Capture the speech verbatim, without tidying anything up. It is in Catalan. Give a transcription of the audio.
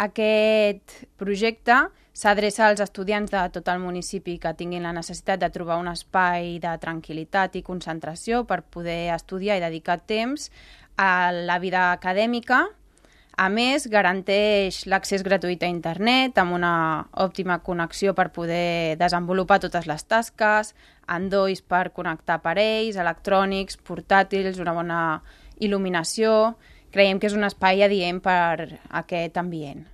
Aquest projecte s'adreça als estudiants de tot el municipi que tinguin la necessitat de trobar un espai de tranquil·litat i concentració per poder estudiar i dedicar temps a la vida acadèmica. A més, garanteix l'accés gratuït a internet amb una òptima connexió per poder desenvolupar totes les tasques, endolls per connectar aparells, electrònics, portàtils, una bona il·luminació. Creiem que és un espai adient per a aquest ambient.